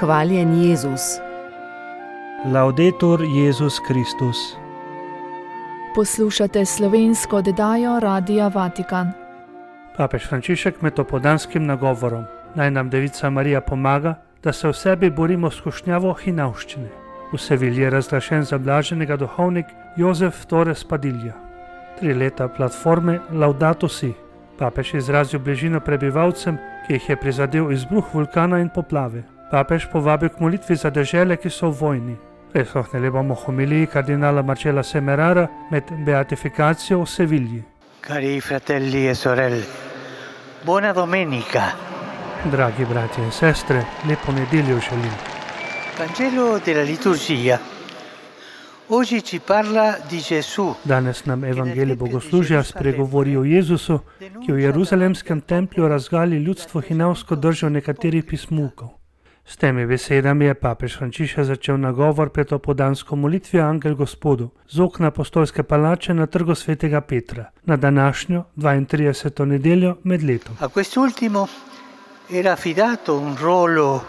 Hvaljen Jezus. Laudetur Jezus Kristus. Poslušate slovensko oddajo Radia Vatikan. Papež Frančišek med opoldanskim nagovorom: naj nam Devica Marija pomaga, da se v sebi borimo s skušnjavo hinavščine. V Sevilji je razglašen za blaženega duhovnik Jozef Torres Padilla. 3 leta platforme Laudato Si. Papež izrazil bližino prebivalcem, ki jih je prizadel izbruh vulkana in poplave. Papež povabil k molitvi za dežele, ki so v vojni. Prisluhnili bomo homiliji kardinala Marcella Semerara med beatifikacijo v Sevilji. Cari fratelli e sorelle, buona domenica. Dragi bratje in sestre, lepo nedeljo želim. Vangelo della liturgia. Oggi ci parla di Gesù. Danes nam evangelij bogoslužja spregovori o Jezusu, ki v Jeruzalemskem templju razgali ljudstvo hinavsko držo nekaterih pismukov. S temi besedami je papež Frančišek začel nagovor pred opoldansko molitvijo Angel Gospodu z okna apostolske palače na trgu svetega Petra na današnjo 32. nedeljo med letom. A quest'ultimo era affidato un ruolo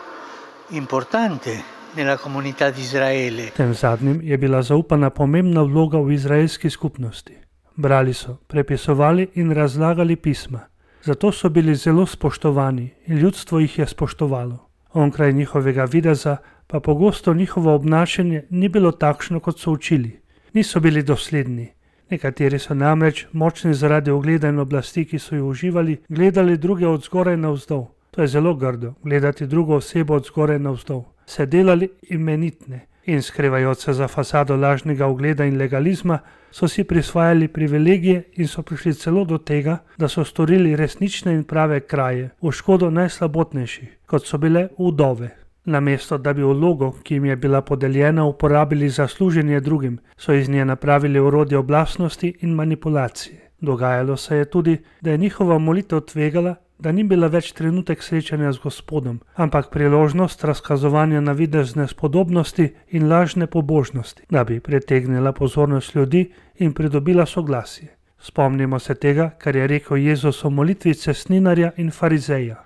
importante nella comunità di Israele. Tem zadnjim je bila zaupana pomembna vloga v izraelski skupnosti. Brali so, prepisovali in razlagali pisma. Zato so bili zelo spoštovani in ljudstvo jih je spoštovalo. Onkraj njihovega videza pa pogosto njihovo obnašanje ni bilo takšno, kot so učili. Niso bili dosledni. Nekateri so namreč, močni zaradi ugleda in oblasti, ki so jo uživali, gledali druge od zgoraj navzdol. To je zelo grdo, gledati drugo osebo od zgoraj navzdol. Se delali imenitne in skrivajoč se za fasado lažnega ugleda in legalizma, so si prisvajali privilegije in so prišli celo do tega, da so storili resnične in prave kraje v škodo najslabotnejših, kot so bile vdove. Namesto da bi vlogo, ki jim je bila podeljena, uporabili za služenje drugim, so iz nje napravili orodje oblastnosti in manipulacije. Dogajalo se je tudi, da je njihova molitev tvegala, da ni bila več trenutek srečanja z Gospodom, ampak priložnost razkazovanja navidezne spodobnosti in lažne pobožnosti, da bi pritegnila pozornost ljudi in pridobila soglasje. Spomnimo se tega, kar je rekel Jezus o molitvi cestninarja in farizeja.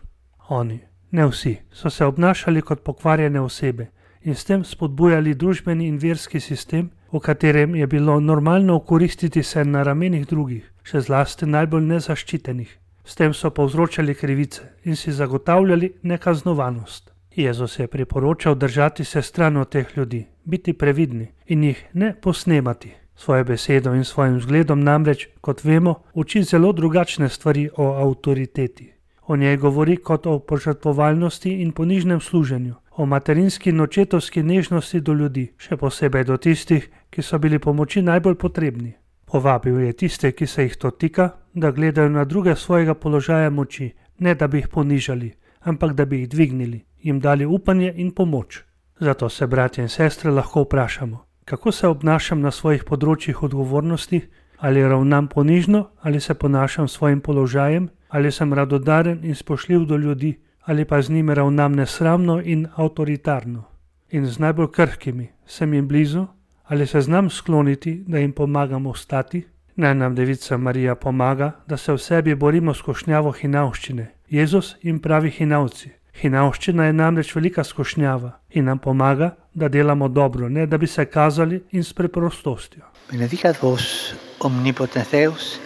Oni, ne vsi, so se obnašali kot pokvarjene osebe in s tem spodbujali družbeni in verski sistem, v katerem je bilo normalno okoristiti se na ramenih drugih, še zlasti najbolj nezaščitenih. S tem so povzročali krivice in si zagotavljali nekaznovanost. Jezus je priporočal držati se stran od teh ljudi, biti previdni in jih ne posnemati. Svojo besedo in svojim vzgledom namreč, kot vemo, uči zelo drugačne stvari o avtoriteti. O njej govori kot o požrtvovalnosti in ponižnem služenju, o materinski in očetovski nežnosti do ljudi, še posebej do tistih, ki so bili pomoči najbolj potrebni. Povabil je tiste, ki se jih to tika, da gledajo na druge svojega položaja moči, ne da bi jih ponižali, ampak da bi jih dvignili, jim dali upanje in pomoč. Zato se, bratje in sestre, lahko vprašamo, kako se obnašam na svojih področjih odgovornosti, ali ravnam ponižno, ali se ponašam s svojim položajem, ali sem radodaren in spoštljiv do ljudi, ali pa z njimi ravnam nesramno in avtoritarno. In z najbolj krhkimi sem jim blizu, ali se znam skloniti, da jim pomagam ostati? Naj nam Devica Marija pomaga, da se v sebi borimo s skušnjavo hinavščine. Jezus jim pravi hinavci. Hinavščina je namreč velika skušnjava in nam pomaga, da delamo dobro, ne da bi se kazali in s preprostostjo. Benedicat vos omnipotens Deus,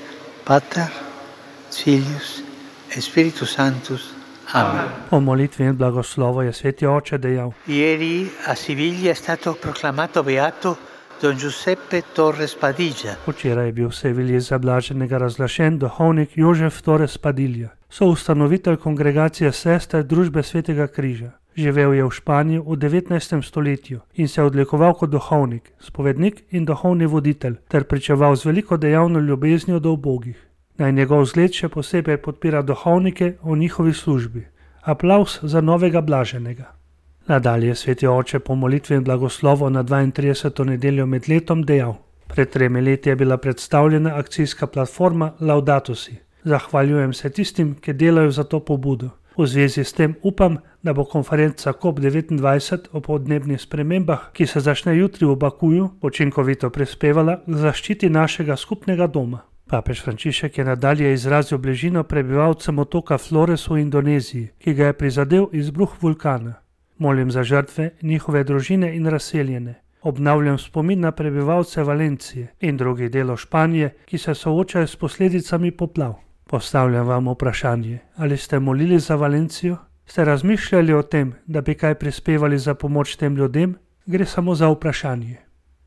Pater, Filius et Spiritus Sanctus. Amen. Po molitvi in blagoslovu je Sveti Oče dejal: Ieri a Siviglia è stato proclamato beato Don Giuseppe Torres Padilla. Včeraj je bil v Sevilji za blaženega razglašen duhovnik Jozef Torres Padilla, soustanovitelj kongregacije sester družbe Svetega križa. Živel je v Španiji v 19. stoletju in se odlikoval kot duhovnik, spovednik in duhovni voditelj ter pričeval z veliko dejavno ljubeznijo do ubogih. Naj njegov zgled še posebej podpira duhovnike v njihovi službi. Aplavz za novega blaženega. Nadalje Sveti Oče po molitvi in blagoslovu na 32. nedeljo med letom dejal: pred 3 leti je bila predstavljena akcijska platforma Laudato Si. Zahvaljujem se tistim, ki delajo za to pobudo. V zvezi s tem upam, da bo konferenca COP29 o podnebnih spremembah, ki se začne jutri v Bakuju, učinkovito prispevala k zaščiti našega skupnega doma. Papež Frančišek je nadalje izrazil bližino prebivalcem otoka Flores v Indoneziji, ki ga je prizadel izbruh vulkana. Molim za žrtve, njihove družine in razseljene. Obnavljam spomin na prebivalce Valencije in drugih delov Španije, ki se soočajo s posledicami poplav. Postavljam vam vprašanje, ali ste molili za Valencijo? Ste razmišljali o tem, da bi kaj prispevali za pomoč tem ljudem? Gre samo za vprašanje.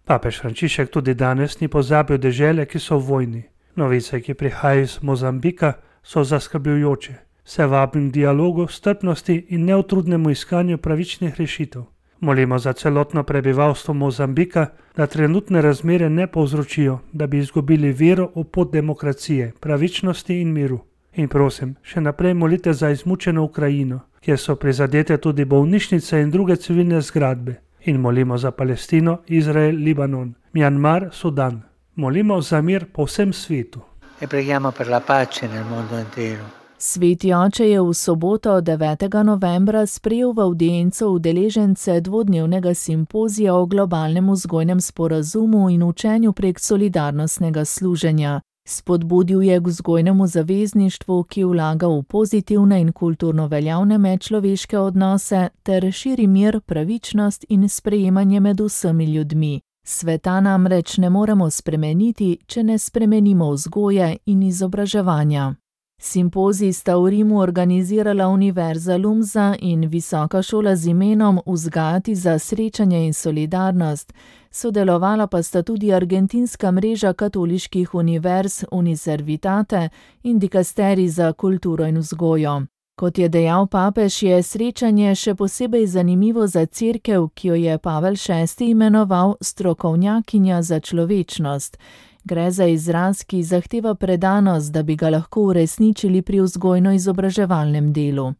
Papež Frančišek tudi danes ni pozabil dežele, ki so v vojni. Novice, ki prihajajo iz Mozambika, so zaskrbljujoče. Se vabim k dialogu, strpnosti in neutrudnemu iskanju pravičnih rešitev. Molimo za celotno prebivalstvo Mozambika, da trenutne razmere ne povzročijo, da bi izgubili vero v pot demokracije, pravičnosti in miru. In prosim, še naprej molite za izmučeno Ukrajino, kjer so prizadete tudi bolnišnice in druge civilne zgradbe. In molimo za Palestino, Izrael, Libanon, Mjanmar, Sudan. Molimo za mir po vsem svetu. E preghiamo per la pace nel mondo intero. Sveti oče je v soboto 9. novembra sprejel v avdienco udeležence dvodnevnega simpozija o globalnem vzgojnem sporazumu in učenju prek solidarnostnega služenja. Spodbudil je k vzgojnemu zavezništvu, ki vlaga v pozitivne in kulturno veljavne medčloveške odnose ter širi mir, pravičnost in sprejemanje med vsemi ljudmi. Sveta namreč ne moremo spremeniti, če ne spremenimo vzgoje in izobraževanja. Simpozij sta v Rimu organizirala Univerza Lumsa in Visoka šola z imenom Vzgajati za srečanje in solidarnost, sodelovala pa sta tudi Argentinska mreža katoliških univerz Uniservitate in Dikasterij za kulturo in vzgojo. Kot je dejal papež, je srečanje še posebej zanimivo za cerkev, ki jo je Pavel VI imenoval strokovnjakinja za človečnost. Gre za izraz, ki zahteva predanost, da bi ga lahko uresničili pri vzgojno-izobraževalnem delu.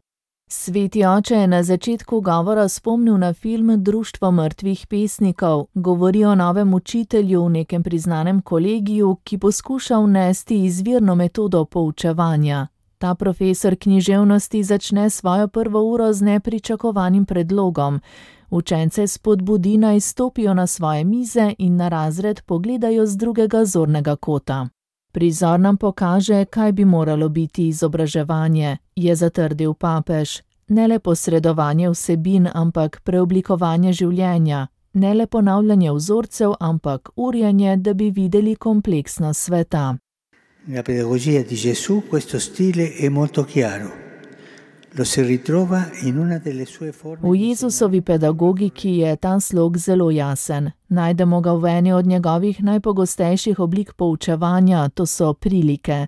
Sveti oče je na začetku govora spomnil na film Društvo mrtvih pesnikov, govori o novem učitelju v nekem priznanem kolegiju, ki poskuša vnesti izvirno metodo poučevanja. Ta profesor književnosti začne svojo prvo uro z nepričakovanim predlogom. Učence spodbudi naj stopijo na svoje mize in na razred pogledajo z drugega zornega kota. Prizor nam pokaže, kaj bi moralo biti izobraževanje, je zatrdil papež. Ne le posredovanje vsebin, ampak preoblikovanje življenja. Ne le ponavljanje vzorcev, ampak urjanje, da bi videli kompleksnost sveta. Nella pedagogia di Gesù questo stile è molto chiaro. Lo si ritrova in una delle sue forme. V Jezusovi pedagogiki je ta slog zelo jasen. Najdemo ga v eni od njegovih najpogostejših oblik poučevanja, to so prilike.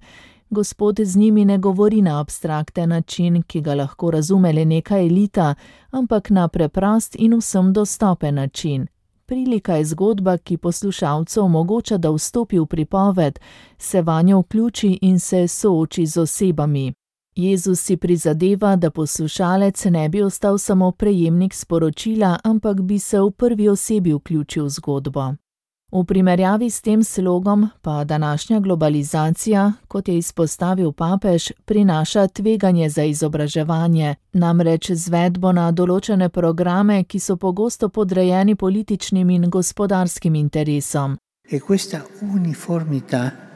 Gospod z njimi ne govori na abstrakten način, ki ga lahko razume le neka elita, ampak na preprost in vsem dostopen način. Prilika je zgodba, ki poslušalcu omogoča, da vstopi v pripoved, se vanjo vključi in se sooči z osebami. Jezus si prizadeva, da poslušalec ne bi ostal samo prejemnik sporočila, ampak bi se v prvi osebi vključil v zgodbo. V primerjavi s tem slogom pa današnja globalizacija, kot je izpostavil papež, prinaša tveganje za izobraževanje, namreč izvedbo na določene programe, ki so pogosto podrejeni političnim in gospodarskim interesom. E questa uniformità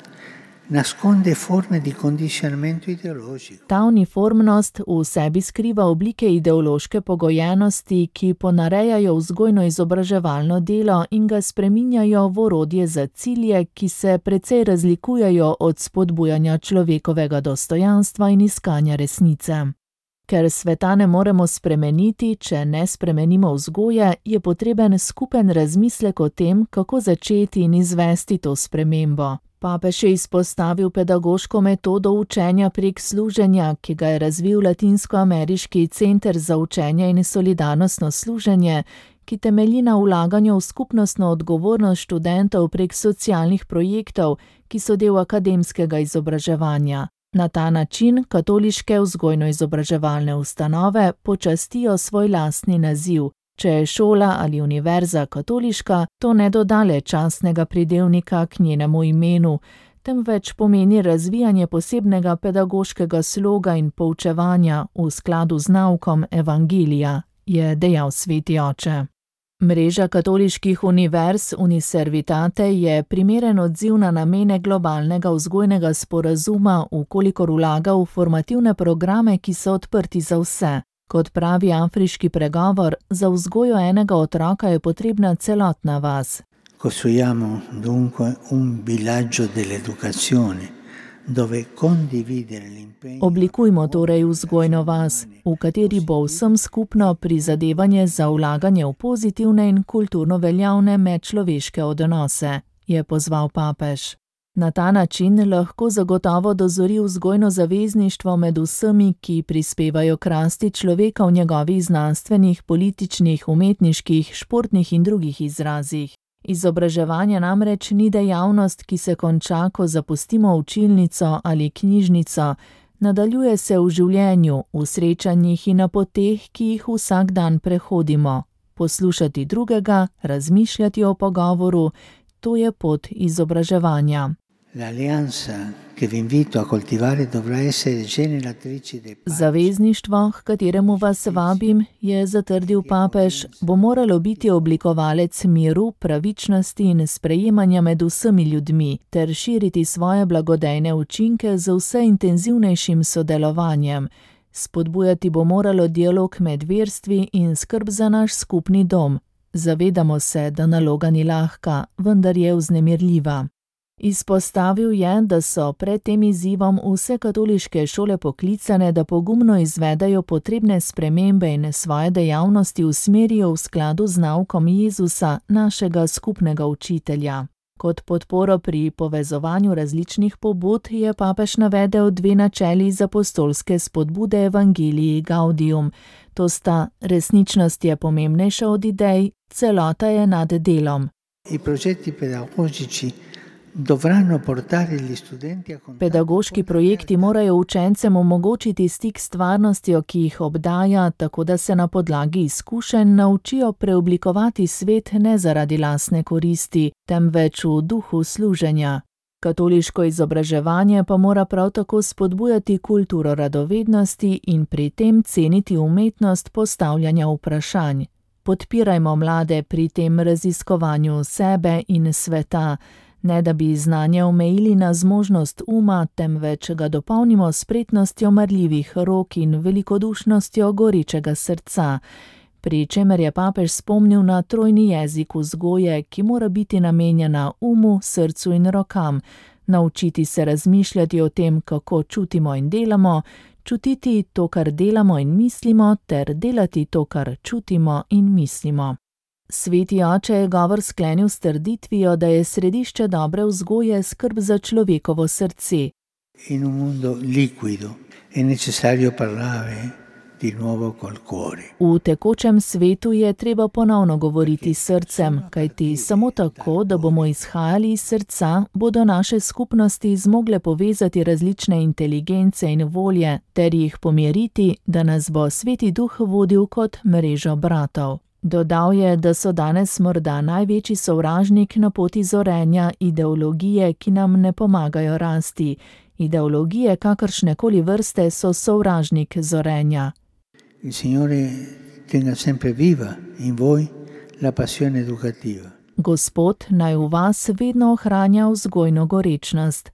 nasconde forme di condizionamento ideologico. Ta uniformnost v sebi skriva oblike ideološke pogojenosti, ki ponarejajo vzgojno-izobraževalno delo in ga spreminjajo v orodje za cilje, ki se precej razlikujejo od spodbujanja človekovega dostojanstva in iskanja resnice. Ker sveta ne moremo spremeniti, če ne spremenimo vzgoje, je potreben skupen razmislek o tem, kako začeti in izvesti to spremembo. Papež je izpostavil pedagoško metodo učenja prek služenja, ki ga je razvil Latinskoameriški center za učenje in solidarnostno služenje, ki temelji na vlaganju v skupnostno odgovornost študentov prek socialnih projektov, ki so del akademskega izobraževanja. Na ta način katoliške vzgojno-izobraževalne ustanove počastijo svoj lastni naziv. Če je šola ali univerza katoliška, to ne doda le častnega pridevnika k njenemu imenu, temveč pomeni razvijanje posebnega pedagoškega sloga in poučevanja v skladu z naukom evangelija, je dejal sveti oče. Mreža katoliških univerz Uniservitate je primeren odziv na namene globalnega vzgojnega sporazuma, vkolikor vlaga v formativne programe, ki so odprti za vse. Kot pravi afriški pregovor, za vzgojo enega otroka je potrebna celotna vas. Costruiamo dunque un villaggio dell'educazione, dove condividere l'impegno. Oblikujmo torej vzgojno vas, v kateri bo vsem skupno prizadevanje za vlaganje v pozitivne in kulturno veljavne medčloveške odnose, je pozval papež. Na ta način lahko zagotovo dozori vzgojno zavezništvo med vsemi, ki prispevajo k rasti človeka v njegovih znanstvenih, političnih, umetniških, športnih in drugih izrazih. Izobraževanje namreč ni dejavnost, ki se konča, ko zapustimo učilnico ali knjižnico, nadaljuje se v življenju, v srečanjih in na poteh, ki jih vsak dan prehodimo. Poslušati drugega, razmišljati o pogovoru, to je pot izobraževanja. Zavezništvo, h kateremu vas vabim, je zatrdil papež, bo moralo biti oblikovalec miru, pravičnosti in sprejemanja med vsemi ljudmi ter širiti svoje blagodejne učinke z vse intenzivnejšim sodelovanjem. Spodbujati bo moralo dialog med verstvi in skrb za naš skupni dom. Zavedamo se, da naloga ni lahka, vendar je vznemirljiva. Izpostavil je, da so pred tem izzivom vse katoliške šole poklicane, da pogumno izvedajo potrebne spremembe in svoje dejavnosti usmerijo v skladu z naukom Jezusa, našega skupnega učitelja. Kot podporo pri povezovanju različnih pobud je papež navedel 2 načeli iz apostolske spodbude Evangelii Gaudium. To sta: resničnost je pomembnejša od idej, celota je nad delom. Pedagoški projekti morajo učencem omogočiti stik s stvarnostjo, ki jih obdaja, tako da se na podlagi izkušenj naučijo preoblikovati svet ne zaradi lastne koristi, temveč v duhu služenja. Katoliško izobraževanje pa mora prav tako spodbujati kulturo radovednosti in pri tem ceniti umetnost postavljanja vprašanj. Podpirajmo mlade pri tem raziskovanju sebe in sveta, ne da bi znanje omejili na zmožnost uma, temveč ga dopolnimo s spretnostjo marljivih rok in velikodušnostjo gorečega srca. Pri čemer je papež spomnil na trojni jezik vzgoje, ki mora biti namenjena umu, srcu in rokam, naučiti se razmišljati o tem, kako čutimo in delamo, čutiti to, kar delamo in mislimo, ter delati to, kar čutimo in mislimo. Sveti oče je govor sklenil s trditvijo, da je središče dobre vzgoje skrb za človekovo srce. In un mondo liquido è necessario parlare di nuovo col cuore. V tekočem svetu je treba ponovno govoriti s srcem, kajti samo tako, da bomo izhajali iz srca, bodo naše skupnosti zmogle povezati različne inteligence in volje ter jih pomiriti, da nas bo Sveti Duh vodil kot mrežo bratov. Dodal je, da so danes morda največji sovražnik na poti zorenja ideologije, ki nam ne pomagajo rasti. Ideologije kakršnekoli vrste so sovražnik zorenja. Il Signore tenga sempre viva in voi la passione educativa. Gospod naj v vas vedno ohranja vzgojno gorečnost.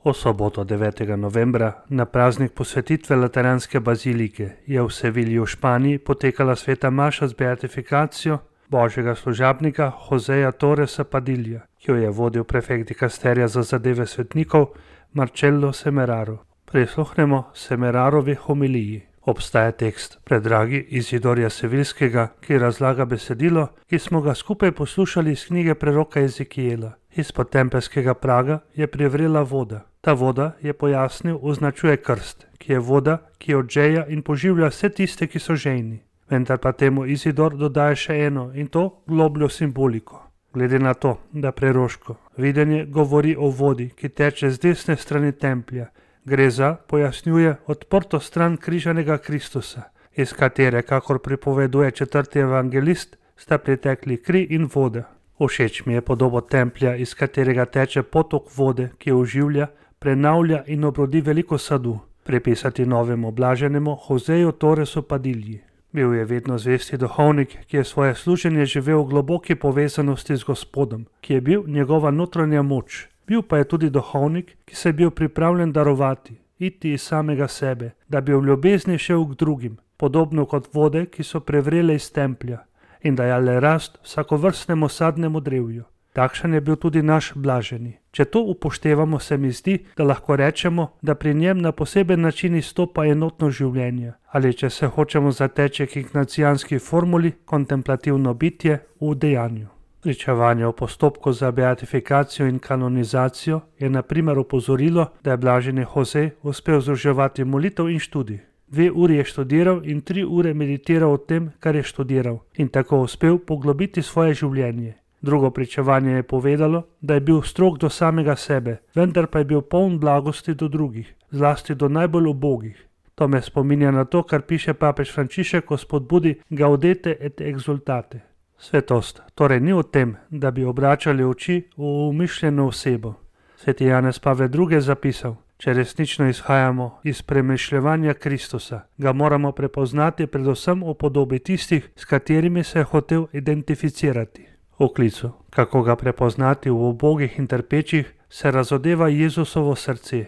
V soboto 9. novembra, na praznik posvetitve Lateranske bazilike, je v Sevilji v Španiji potekala sveta maša z beatifikacijo božjega služabnika Joseja Torresa Padilja, ki jo je vodil prefekt dikasterija za zadeve svetnikov Marcello Semeraro. Prisluhnemo Semerarovi homiliji. Obstaja tekst predragi Izidorja Sevilskega, ki razlaga besedilo, ki smo ga skupaj poslušali iz knjige preroka Ezekijela. Izpod tempelskega praga je privrela voda. Ta voda, je pojasnil, označuje krst, ki je voda, ki odžeja in poživlja vse tiste, ki so žejni. Vendar pa temu Izidor dodaja še eno, in to globljo simboliko. Glede na to, da preroško videnje govori o vodi, ki teče z desne strani templja, gre za, pojasnjuje, odprto stran križanega Kristusa, iz katere, kakor pripoveduje 4. evangelist, sta pritekli kri in voda. Všeč mi je podobo templja, iz katerega teče potok vode, ki oživlja, prenavlja in obrodi veliko sadu, pripisati novemu blaženemu Joseju Torresu Padilji. Bil je vedno zvesti duhovnik, ki je svoje služenje živel v globoki povezanosti z Gospodom, ki je bil njegova notranja moč. Bil pa je tudi duhovnik, ki se je bil pripravljen darovati, iti iz samega sebe, da bi v ljubezni šel k drugim, podobno kot vode, ki so prevrele iz templja in dajale rast vsakovrstnemu sadnemu drevju. Takšen je bil tudi naš blaženi. Če to upoštevamo, se mi zdi, da lahko rečemo, da pri njem na poseben način izstopa enotno življenje, ali če se hočemo zateči k ignacijanski formuli, kontemplativno bitje v dejanju. Pričevanje o postopku za beatifikacijo in kanonizacijo je na primer opozorilo, da je blaženi Jose uspel združevati molitev in študij. 2 uri je študiral in 3 ure meditiral o tem, kar je študiral, in tako uspel poglobiti svoje življenje. Drugo pričevanje je povedalo, da je bil strog do samega sebe, vendar pa je bil poln blagosti do drugih, zlasti do najbolj ubogih. To me spominja na to, kar piše papež Frančišek o spodbudi Gaudete et exultate. Svetost torej ni v tem, da bi obračali oči v umišljeno osebo. Sveti Janez Pavel II je zapisal: če resnično izhajamo iz premišljevanja Kristusa, ga moramo prepoznati predvsem v podobi tistih, s katerimi se je hotel identificirati. V klicu, kako ga prepoznati v ubogih in trpečih, se razodeva Jezusovo srce,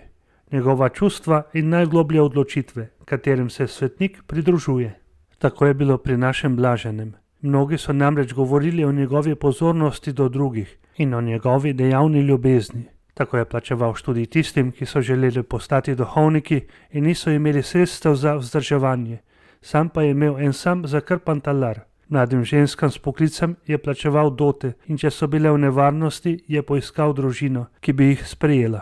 njegova čustva in najgloblje odločitve, katerim se svetnik pridružuje. Tako je bilo pri našem blaženem. Mnogi so namreč govorili o njegovi pozornosti do drugih in o njegovi dejavni ljubezni. Tako je plačeval študij tistim, ki so želeli postati duhovniki in niso imeli sredstev za vzdrževanje. Sam pa je imel en sam zakrpan talar. Mladim ženskam s poklicem je plačeval dote in če so bile v nevarnosti, je poiskal družino, ki bi jih sprejela.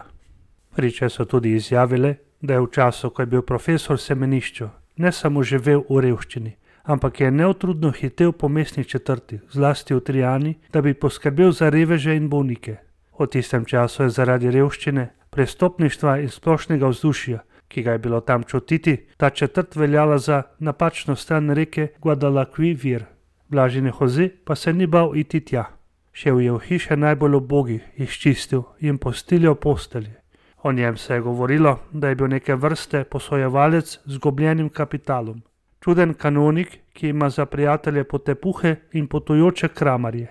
Priče so tudi izjavile, da je v času, ko je bil profesor v semenišču, ne samo živel v revščini, ampak je neutrudno hitel po mestnih četrtih, zlasti v Trijani, da bi poskrbel za reveže in bolnike. V tistem času je zaradi revščine, prestopništva in splošnega vzdušja, ki ga je bilo tam čutiti, ta četrt veljala za napačno stran reke Guadalquivir. Blaženi Jose pa se ni bal iti tja. Šel je v hiše najbolj ubogih, jih čistil in postiljal postelje. O njem se je govorilo, da je bil neke vrste posojevalec z izgubljenim kapitalom. Čuden kanonik, ki ima za prijatelje potepuhe in potujoče kramarje.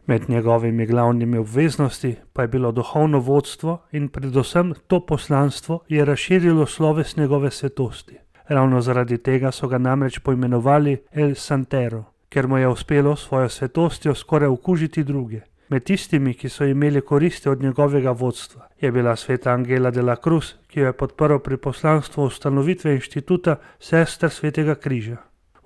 Med njegovimi glavnimi obveznosti pa je bilo duhovno vodstvo in predvsem to poslanstvo je razširilo sloves njegove svetosti. Ravno zaradi tega so ga namreč poimenovali El Santero, ker mu je uspelo svojo svetostjo skoraj okužiti druge. Med tistimi, ki so imeli koristi od njegovega vodstva, je bila sveta Angela de la Cruz, ki jo je podprl pri poslanstvu ustanovitve inštituta Sester Svetega križa.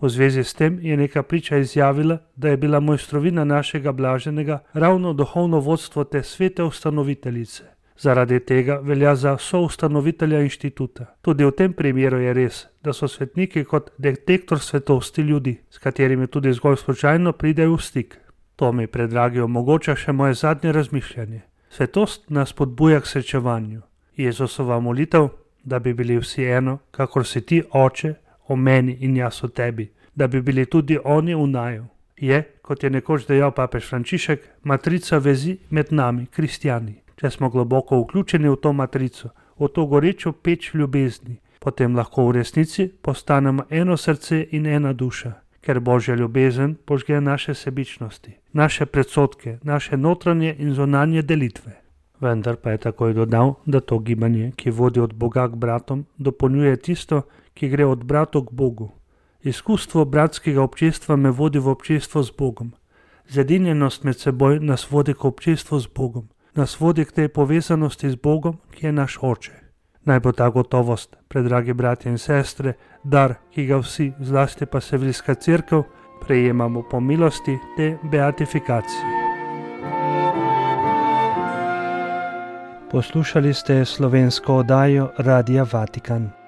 V zvezi s tem je neka priča izjavila, da je bila mojstrovina našega blaženega ravno duhovno vodstvo te svete ustanoviteljice. Zaradi tega velja za soustanovitelja inštituta. Tudi v tem primeru je res, da so svetniki kot detektor svetosti ljudi, s katerimi tudi zgolj slučajno pridejo v stik. To mi, predragi, omogoča še moje zadnje razmišljanje. Svetost nas spodbuja k srečevanju. Jezusova molitev, da bi bili vsi eno, kakor si ti, Oče, o meni in jaz o tebi, da bi bili tudi oni v naju, je, kot je nekoč dejal papež Frančišek, matrica vezi med nami, kristjani. Če smo globoko vključeni v to matrico, v to gorečo peč ljubezni, potem lahko v resnici postanemo eno srce in ena duša, ker Božja ljubezen požge naše sebičnosti, naše predsodke, naše notranje in zunanje delitve. Vendar pa je takoj dodal, da to gibanje, ki vodi od Boga k bratom, dopolnjuje tisto, ki gre od bratov k Bogu. Izkustvo bratskega občestva me vodi v občestvo z Bogom. Zedinjenost med seboj nas vodi k občestvu z Bogom, nas vodi k tej povezanosti z Bogom, ki je naš Oče. Naj bo ta gotovost, predragi bratje in sestre, dar, ki ga vsi, zlasti pa Seviljska cerkev, prejemamo po milosti te beatifikacije. Poslušali ste slovensko oddajo Radia Vatikan.